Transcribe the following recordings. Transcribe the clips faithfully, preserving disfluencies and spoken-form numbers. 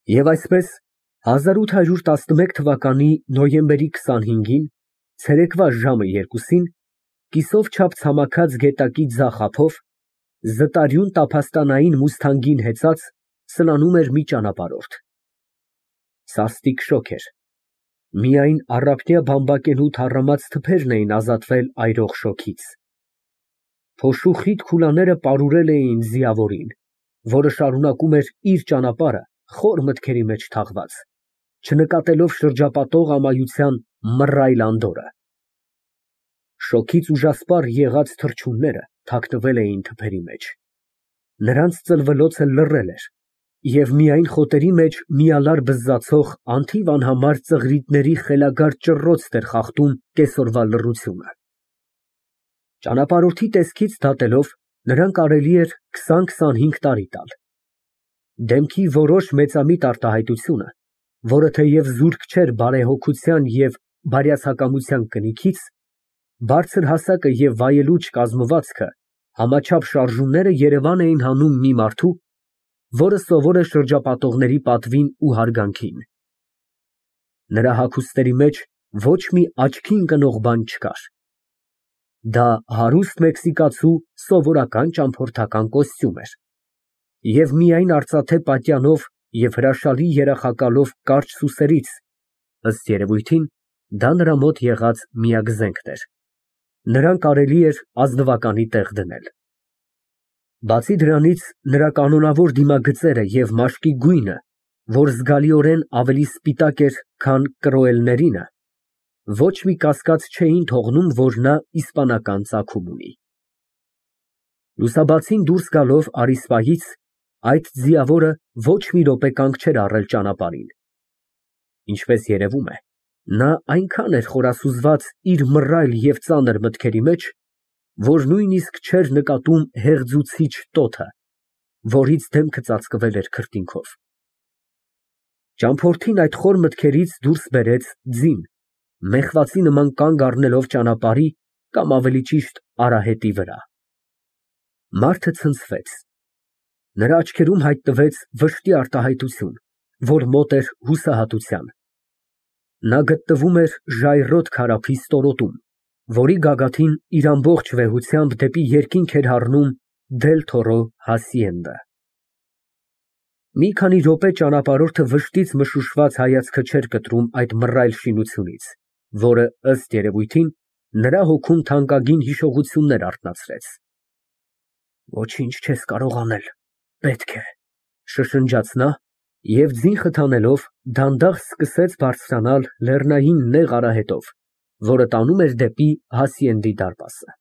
Եվ այսպես, հազար ութ հարյուր տասնմեկ թվականի նոյեմբերի քսանհինգին, ցերեկվա ժամը երկուսին, կիսով չափ ցամաքած գետակի ձախ ափով, զտարյուն տափաստանային մուսթանգին հեծած, սլանում էր մի ճանապարհորդ. սաստիկ շոգ էր, միայն առափնյա բամբակենու թառամած թփերն էին ազատվել այրող շոգից։ Փոշու խիտ քուլաները պարուրել էին ձիավորին, որը շարունակում էր իր ճանապարհը խոր մտքերի մեջ թաղված, չնկատելով շրջապատող ամայության մռայլ անդորրը։ Շոգից ուժասպառ եղած թռչունները թաքնվել էին թփերի մեջ, նրանց ծլվելոցը լռել էր, և միայն խոտերի մեջ միալար բզզացող անթիվ անհամար ծղրիդների խելագար ճռռոցն էր խախտում կեսօրվա լռությունը։ Ճանապարհորդի տեսքից դատելով, նրան կարելի էր քսան֊քսանհինգ տարի տալ։ Դեմքի որոշ մեծամիտ արտահայտությունը, որը թեև զուրկ չէր բարեհոգության և բարյացակամության կնիքից, բարձր հասակը և վայելուչ կազմվածքը համաչափ շարժումները երևան էին հանում մի մարդու, որը սովոր է շրջապատողների պատվին ու հարգանքին։ Նրա հագուստների մեջ ոչ մի աչքի ընկնող բան չկար։ Դա հարուստ մեքսիկացու սովորական ճամփորդական կոստյում էր, և միայն արծաթե պատյանով և հրաշալի երախակալով կարճ սուսերից, ըստ երևույթին, դա նրա մոտ եղած միակ զենքն էր, նրան կարելի էր ազնվականի տեղ դնել։ Բացի դրանից, նրա կանոնավոր դիմագծերը և մաշկի գույնը, որ զգալիորեն ավելի սպիտակ էր, քան կրոելներինը, ոչ մի կասկած չէին թողնում, որ նա իսպանական ծագում ունի։ Լուսաբացին դուրս գալով առիսպայից, այդ ձիավորը ոչ մի րոպե կանգ չէր առել ճանապարհին։ Ինչպես երևում է, նա այնքան էր խորասուզված իր մռայլ և ծանր մտքերի մեջ, որ նույնիսկ չէր նկատում հեղձուցիչ տոթը, որից դեմքը ծածկվել էր քրտինքով։ Ճամփորդին այդ խոր մտքերից դուրս բերեց ձին, մեխվածի նման կանգ առնելով ճանապարհի կամ ավելի ճիշտ արահետի վրա։ Մարդը ցնցվեց, նրա աչքերում հայտնվեց վշտի արտահայտություն, որ մոտ էր հուսահատության։ Նա գտնվում էր ժայռոտ քարափի ստորոտում, որի գագաթին իր ամբողջ վեհությամբ դեպի երկինք էր հառնում Դել Թորո հասիենդը։ Մի քանի րոպե ճանապարհորդը վշտից մշուշված հայացքը չէր կտրում այդ մռայլ շինությունից, որը, ըստ երևույթին, նրա հոգում թանկագին հիշողություններ արթնացրեց։ Ոչինչ չես կարող անել, պետք է, շշնջաց նա և ձին խթանելով դանդաղ սկսեց բարձրանալ լեռնային նեղ արահետով, որը տանում էր դեպի հասիենդի դարպասը։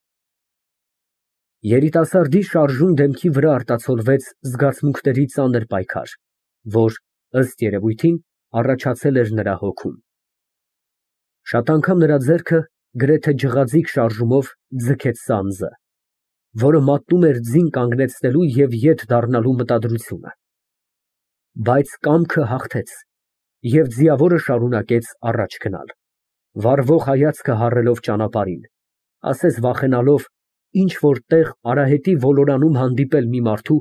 Երիտասարդի շարժուն դեմքի վրա արտացոլվեց զգացմունքների ծանր պայքար, որ, ըստ երևույթին, առաջացել էր նրա հոգում։ Շատ անգամ նրա ձեռքը գրեթե ջղաձիգ շարժումով ձգեց սանձը, որը մատնում էր ձին կանգնեցնելու և ետ դառնալու մտադրությունը։ Բայց կամքը հաղթեց, և ձիավորը շարունակեց առաջ գնալ, վառվող հայացքը հառելով ճանապարհին, ասես վախենալով ինչ֊որ տեղ արահետի ոլորանում հանդիպել մի մարդու,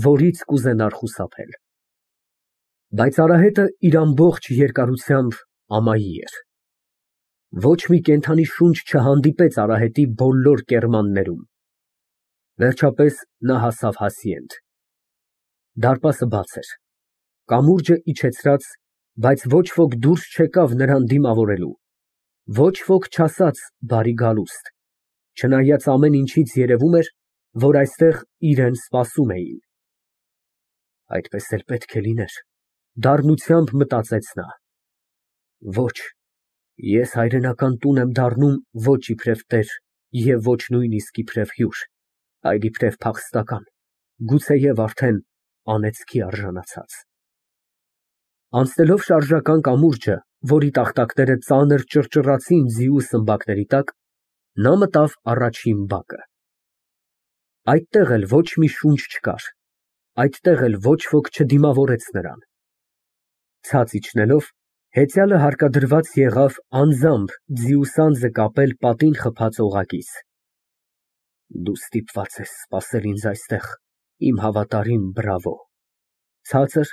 որից կուզենար խուսափել։ Բայց արահետը իր ամբողջ երկարությամբ ամայի էր։ Ոչ մի կենդանի շունչ չհանդիպեց արահետի բոլոր կեռմաններում։ Վերջապես նա հասավ հասիենդ։ Դարպասը բաց էր, կամուրջը իջեցրած, բայց ոչ ոք դուրս չեկավ նրան դիմավորելու, ոչ ոք չասաց բարի գալուստ, չնայած ամեն ինչից երևում էր, որ այստեղ իրան սպասում էին։ Այդպես էլ պետք է լիներ, դառնությամբ մտածեց նա։ Ոչ, ես հայրենական տուն եմ դառնում ոչ իբրև տեր և ոչ նույնիսկ իբրև հյուր, այլ իբրև փախստական, գուցեև արդեն անեծքի արժանացած։ Անցնելով շարժական կամուրջը, որի տախտակները ծանր ճռճռացին ձիու սմբակների տակ, նա մտավ առաջին բակը։ Այդտեղ էլ ոչ մի շունչ չկար, այդտեղ էլ ոչ ոք չդիմավորեց նրան։ Ցած իջնելով, հեծյալը հարկադրված եղավ անձամբ ձիու սանձը կապել պատին խփած օղակից։ Դու ստիպված ես սպասել ինձ այստեղ, իմ հավատարիմ բրավո, ցածր,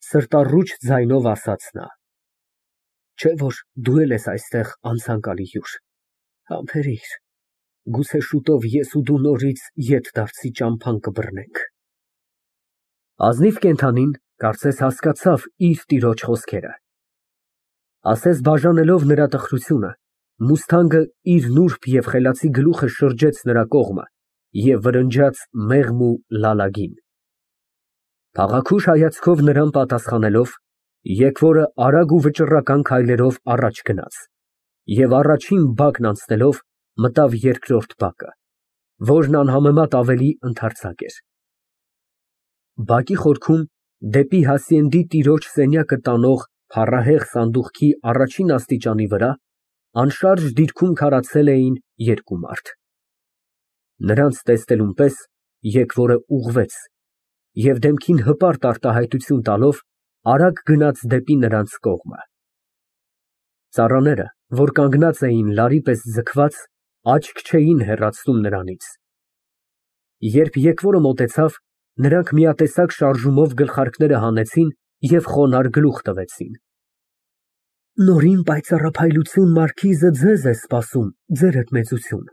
Սրտառուչ ձայնով ասաց նա։ Չէ՞ որ դու էլ ես այստեղ անցանկալի հյուր, համբերիր, գուցե շուտով ես ու դու նորից ետդարձի ճամփան կբռնենք։ Ազնիվ կենդանին, կարծես հասկացավ իր տիրոջ խոսքերը, ասես բաժանելով նրա տխրությունը, մուսթանգը իր նուրբ և խելացի գլուխը շրջեց նրա կողմը և վրնջաց մեղմ ու լալագին։ Փաղաքուշ հայացքով նրան պատասխանելով, եկվորը արագ ու վճռական քայլերով առաջ գնաց և առաջին բակն անցնելով մտավ երկրորդ բակը, որն անհամեմատ ավելի ընդարձակ էր։ Բակի խորքում, դեպի հասցենդի տիրոջ սենյակը տանող փառահեղ սանդուղքի առաջին աստիճանի վրա անշարժ դիրքում քարացել էին երկու մարդ։ Նրանց տեսնելուն պես եկվորը ուղղվեց և դեմքին հպարտ արտահայտություն տալով արագ գնաց դեպի նրանց կողմը։ Ծառաները, որ կանգնած էին լարի պես ձգված, աչք չէին հեռացնում նրանից։ Երբ եկվորը մոտեցավ, նրանք միատեսակ շարժումով գլխարկները հանեցին և խոնարհ գլուխ տվեցին։ Նորին պայծառափայլություն մարքիզը ձեզ է սպասում, ձերդ մեծություն,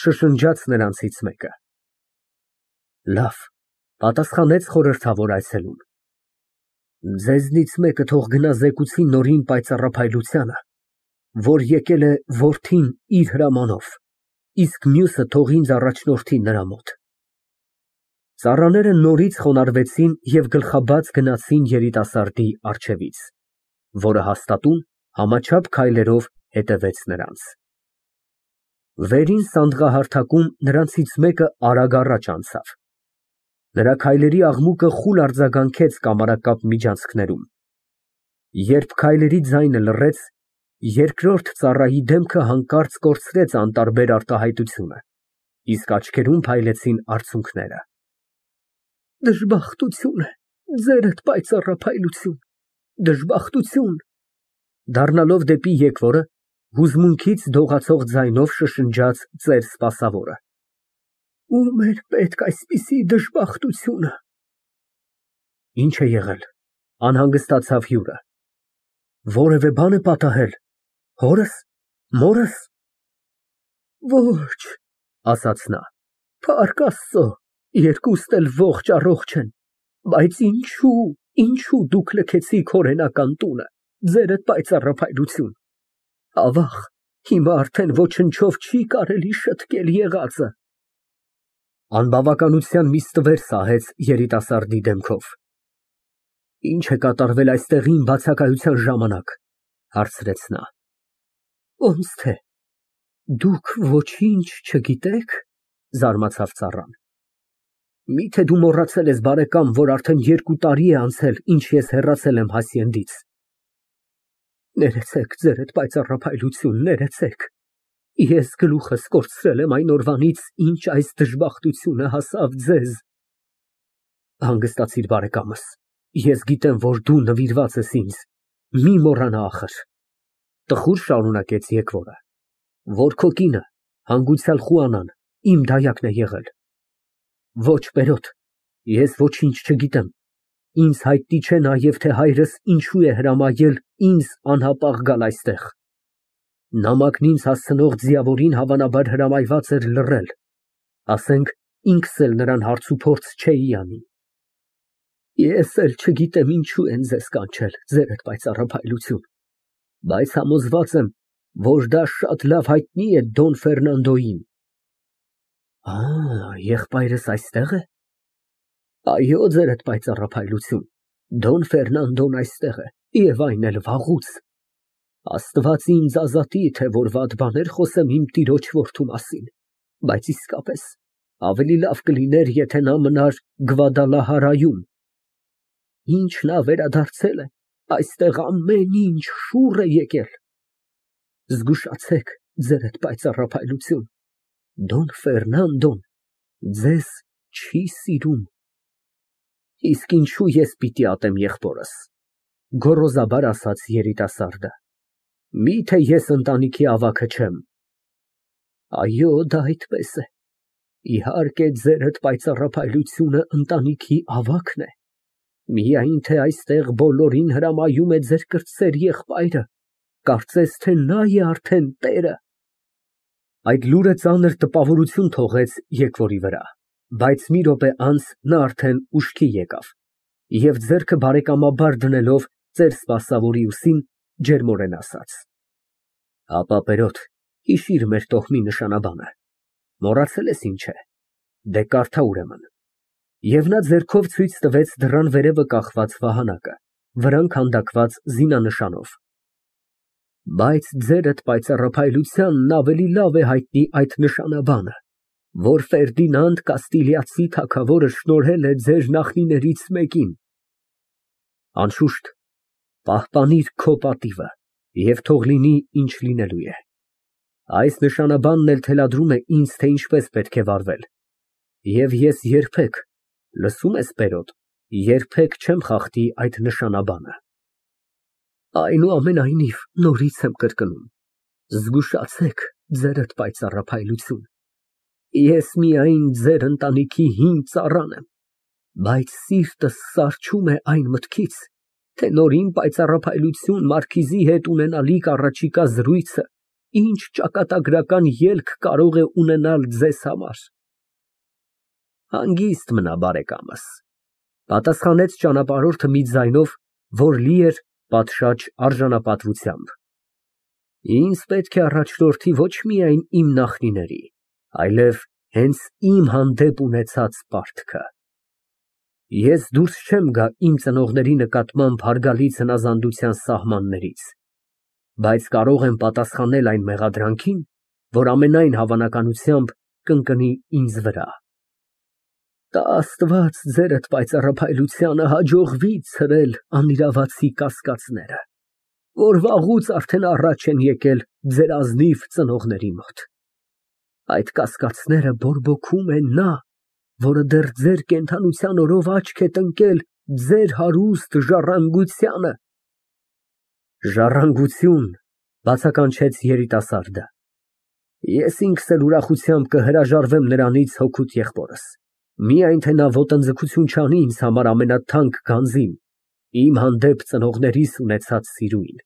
շշնջաց նրանցից մեկը։ Լավ, պատասխանեց խորհրդավոր այցելուն։ Ձեզնից մեկը թող գնա զեկուցի Նորին պայծառափայլությանը, որ եկել է որդին իր հրամանով, իսկ մյուսը թող ինձ առաջնորդի նրա մոտ։ Ծառաները նորից խոնարհվեցին և գլխաբաց գնացին երիտասարդի առջևից, որը հաստատուն համաչափ քայլերով հետևեց նրանց։ Վերին սանդղահարթակում նրանցից մեկը արագ առաջ անցավ։ Նրա քայլերի աղմուկը խուլ արձագանքեց կամարակապ միջանցքներում։ Երբ քայլերի ձայնը լռեց, երկրորդ ծառայի դեմքը հանկարծ կորցրեց անտարբեր արտահայտությունը, իսկ աչքերում փայլեցին արցունքները։ Դժբախտություն է, ձերդ պայծառափայլություն, դժբախտություն։ Դառնալով դեպի եկվորը, հուզմունքից դողացող ձայնով շշնջաց ծեր սպասավորը։ Ո՞ւմ էր պետք այսպիսի դժբախտությունը։ Ինչ է եղել, անհանգստացավ հյուրը։ Որևէ բան է պատահել, հորս, մորս։ Ոչ, ասաց նա, փառք Աստծո, երկուստ էլ ողջ առողջ են, բայց ինչո՞ւ, ինչո՞ւ դուք լքեցիք օրենական տունը, ձերդ պայծառափայլություն։ Ավաղ, հիմա արդեն ոչնչով չի կարելի շտկել եղածը։ Անբավականության մի ստվեր սահեց երիտասարդի դեմքով։ Ինչ է կատարվել այստեղ իմ բացակայության ժամանակ, հարցրեց նա։ Ոնց թե, դուք ոչինչ չգիտեք, զարմացավ ծառան։ Միթե դու մոռացել ես, բարեկամ, որ արդեն երկու տարի է անցել, ինչ ես հեռացել եմ Հասցենդից։ Ներեցեք, ձերդ պայծառափայլություն, ներեցեք։ Ես գլուխս կորցրել եմ այն օրվանից, ինչ այս դժբախտությունը հասավ ձեզ։ Հանգստացիր, բարեկամս, ես գիտեմ, որ դու նվիրված ես ինձ, մի մոռանա ախր, տխուր շարունակեց եկվորը, որ քո կինը, հանգուցյալ Խուանան, իմ դայակն է եղել։ Ոչ, Բերոտ, ես ոչինչ չգիտեմ, ինձ հայտնի չէ նաև, թե հայրս ինչու է հրամայել ինձ անհապաղ գալ այստեղ։ Նամակն ինձ հասցնող ձիավորին հավանաբար հրամայված էր լռել, ասենք ինքս էլ նրան հարցուփորձ չէի անի։ Ես էլ չգիտեմ ինչու են ձեզ կանչել, ձերդ պայծառափայլություն, բայց համոզված եմ, որ դա շատ լավ հայտնի է Դոն Ֆերնանդոյին։ Ա, եղբայրս այստեղ է։ Այո, ձերդ պայծառափայլություն, Դոն Ֆերնանդոն այստեղ է, և այն էլ վաղուց։ Աստված ինձ ազատի, թե որ վատ բաներ խոսեմ իմ տիրոջ որդու մասին, բայց իսկապես ավելի լավ կլիներ, եթե նա մնար Գվադալահարայում։ Ինչ նա վերադարձել է, այստեղ ամեն ինչ շուռ է եկել։ Զգուշացեք, ձերդ պայծառափայլություն, Դոն Ֆերնանդոն ձեզ չի սիրում։ Իսկ ինչու ես պիտի ատեմ եղբորս, գոռոզաբար ասաց երիտասարդը։ Միթե ես ընտանիքի ավագը չեմ։ Այո, դա այդպես է։ Իհարկե, ձերդ պայծառափայլությունը ընտանիքի ավագն է, Միայն թե այստեղ բոլորին հրամայում է ձեր կրտսեր եղբայրը, կարծես թե նա է արդեն տերը։ Այդ լուրը ծանր տպավորություն թողեց եկվորի վրա, բայց մի րոպե անց նա արդեն ուշքի եկավ և ձեռքը բարեկամաբար դնելով ծեր սպասավորի ուսին, ջերմորեն ասաց. Ապա, Պերոտ, հիշիր մեր տոհմի նշանաբանը, մոռացել ես ինչ է, դե կարդա ուրեմն։ Եվ նա ձեռքով ցույց տվեց դռան վերևը կախված վահանակը, վրան քանդակված զինանշանով։ Բայց ձերդ պայծառափայլությանն ավելի լավ է հայտնի այդ նշանաբանը, որ Ֆերդինանդ Կաստիլիացի թագավորը շնորհել է ձեր նախնիներից մեկին։ Անշուշտ, պահպանիր քո պատիվը և թող լինի, ինչ լինելու է։ Այս նշանաբանն էլ թելադրում է ինձ, թե ինչպես պետք է վարվել, և ես երբեք, լսո՞ւմ ես, Պերոտ, երբեք չեմ խախտի այդ նշանաբանը։ Այնուամենայնիվ, նորից եմ կրկնում, զգուշացեք ձերդ պայծառափայլություն։ Ես միայն ձեր ընտանիքի հին ծառան եմ, բայց սիրտս սառչում է այն մտքից, թե նորին պայծառափայլություն մարքիզի հետ ունենալիք առաջիկա զրույցը ինչ ճակատագրական ելք կարող է ունենալ ձեզ համար։ Հանգիստ մնա, բարեկամս, պատասխանեց ճանապարհորդը մի ձայնով, որ լի էր պատշաճ արժանապատվությամբ։ Ինձ պետք է առաջնորդի ոչ միայն իմ նախնիների, այլև հենց իմ հանդեպ ունեցած պարտքը։ Ես դուրս չեմ գա իմ ծնողների նկատմամբ հարգալից հնազանդության սահմաններից, բայց կարող եմ պատասխանել այն մեղադրանքին, որ ամենայն հավանականությամբ կընկնի ինձ վրա։ Տա Աստված ձերդ պայծառափայլությանը հաջողվի ցրել անիրավացի կասկածները, որ վաղուց արդեն առաջ են եկել ձեր ազնիվ ծնողների մոտ։ Այդ կասկածները բորբոքում է նա, որը դեռ ձեր կենդանության օրոք աչք է տնկել ձեր հարուստ ժառանգությանը։ Ժառանգություն, բացականչեց երիտասարդը։ Ես ինքս էլ ուրախությամբ կհրաժարվեմ նրանից հօգուտ եղբորս, միայն թե նա ոտնձգություն չանի ինձ համար ամենաթանկ գանձին, իմ հանդեպ ծնողներիս ունեցած սիրուին։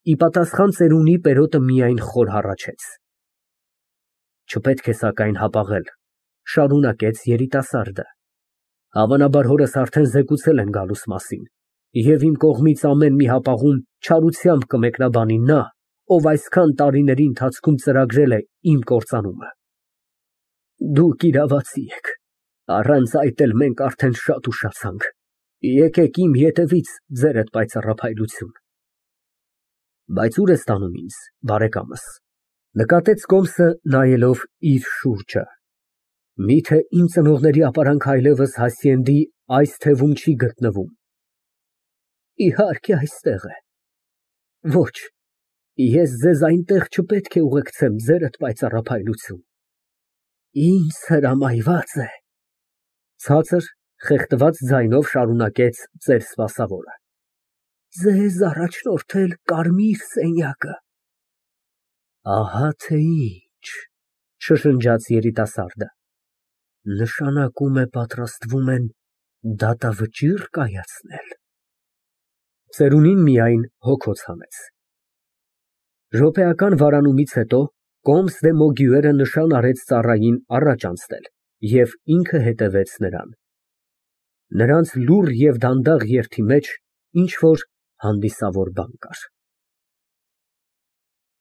Ի պատասխան ծերունի Պերոտը միայն խոր հառաչեց։ Չպետք է սակայն հապաղել, շարունակեց երիտասարդը։ Հավանաբար հորս արդեն զեկուցել են գալուս մասին, և իմ կողմից ամեն մի հապաղում չարությամբ կմեկնաբանի նա, ով այսքան տարիների ընթացքում ծրագրել է իմ կործանումը։ Դուք իրավացի եք, առանց այդ էլ մենք արդեն շատ ուշացանք, եկեք իմ ետևից, ձերդ պայծառափայլություն։ Բայց ո՞ւր ես տանում ինձ, բարեկամս, նկատեց Կոմսը, նայելով իր շուրջը։ Միթե իմ ծնողների ապարանքը այլևս Հասցենդի այս թևում չի գտնվում։ Իհարկե այստեղ է։ Ոչ, ես ձեզ այնտեղ չպետք է ուղեկցեմ, ձերդ պայծառափայլություն։ Ինձ հրամայված է, ցածր, խեղդված ձայնով շարունակեց ծեր սպասավորը, ձեզ առաջնորդել կարմիր սենյակը։ Ահա թե ինչ, շշնջաց երիտասարդը, նշանակում է պատրաստվում են դատավճիռ կայացնել։ Ծերունին միայն հոգոց հանեց։ Րոպեական վարանումից հետո Կոմս դե Մոգյուերը նշան արեց ծառային առաջ անցնել և ինքը հետևեց նրան։ Նրանց լուռ և դանդաղ երթի մեջ ինչ֊որ հանդիսավոր բան կար։